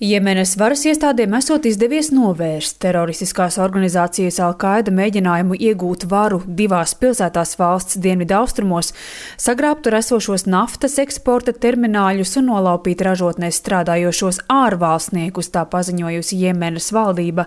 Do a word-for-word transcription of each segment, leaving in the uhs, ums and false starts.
Jemenas varas iestādēm esot izdevies novērst teroristiskās organizācijas Al-Qaida mēģinājumu iegūt varu divās pilsētās valsts dienvidaustrumos, sagrābt tur esošos naftas eksporta termināļus un nolaupīt ražotnēs strādājošos ārvalstniekus, tā paziņojusi Jemenas valdība.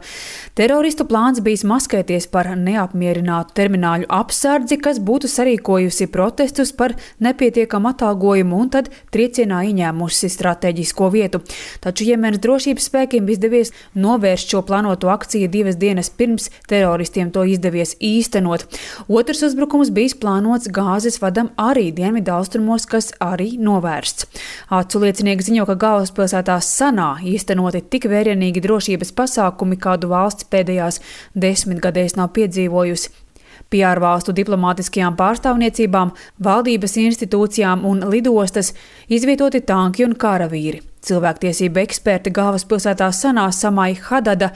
Teroristu plāns bijis maskēties par neapmierinātu termināļu apsardzi, kas būtu sarīkojusi protestus par nepietiekamu atalgojumu un tad triecienā ieņēmusi strateģisko vietu. Taču Jemenas drošības spēkiem izdevies novērst šo plānoto akciju divas dienas pirms teroristiem to izdevies īstenot. Otrs uzbrukums bijis plānots gāzes vadam arī dienvidaustrumos, kas arī novērsts. Acu liecinieki ziņo, ka galvaspilsētā Sanā īstenoti tik vērienīgi drošības pasākumi, kādu valsts pēdējās desmitgadēs nav piedzīvojusi. Pie ārvalstu diplomātiskajām pārstāvniecībām, valdības institūcijām un lidostas izvietoti tanki un karavīri. Cilvēktiesība eksperti galvaspilsētā Sanā Samai Hadada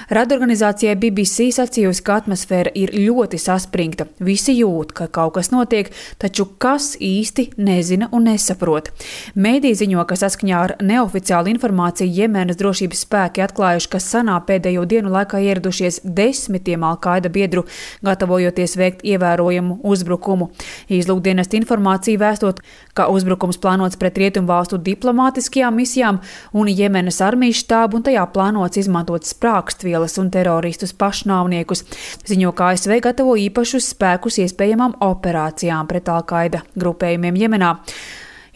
radorganizācijai B B C sacījusi, ka atmosfēra ir ļoti saspringta. Visi jūt, ka kaut kas notiek, taču kas īsti nezina un nesaprot. Mēdī ziņo, ka saskaņā ar neoficiālu informāciju Jemenas drošības spēki atklājuši, ka Sanā pēdējo dienu laikā ieradušies desmitiem Al-Qaida biedru, gatavojoties veikt ievērojamu uzbrukumu. Izlūkdienesta informācija vēstot, ka uzbrukums plānots pret rietumvalstu diplomātiskajām misijām un Jemenas armijas štābu, un tajā plānots izmantot sprākstvielas un teroristus pašnāvniekus. Ziņo, ka A S V gatavo īpašus spēkus iespējamām operācijām pret Al-Qaida grupējumiem Jemenā.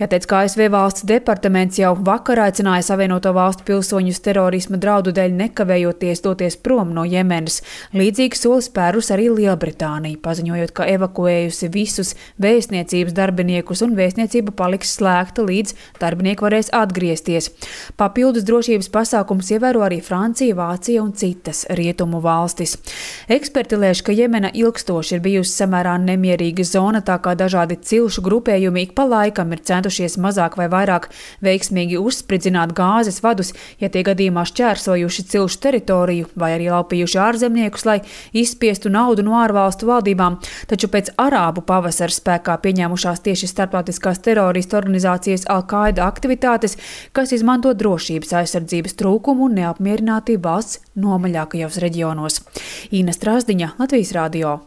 Jāteic, ka A S V valsts departaments jau vakar aicināja Savienoto valstu pilsoņus terorisma draudu dēļ nekavējoties doties prom no Jemenas. Līdzīgs solis spērus arī Lielbritānija, paziņojot, ka evakuējusi visus vēstniecības darbiniekus un vēstniecība paliks slēgta, līdz darbinieki varēs atgriezties. Papildus drošības pasākums ievēro arī Francija, Vācija un citas rietumu valstis. Eksperti lēš, ka Jemena ilgstoši ir bijusi samērā nemierīga zona, tā kā dažādi cilšu grupējumi ik pa laikam ir centušies mazāk vai vairāk veiksmīgi uzspridzināt gāzes vadus, ja tie gadījumā šķērsojuši cilšu teritoriju vai arī laupījuši ārzemniekus, lai izspiestu naudu no ārvalstu valdībām. Taču pēc arābu pavasara spēkā pieņēmušās tieši starptautiskās teroristu organizācijas Al-Qaida aktivitātes, kas izmanto drošības aizsardzības trūkumu un neapmierinātību valsts nomaļākajos reģionos. Ina Strasdiņa, Latvijas radio.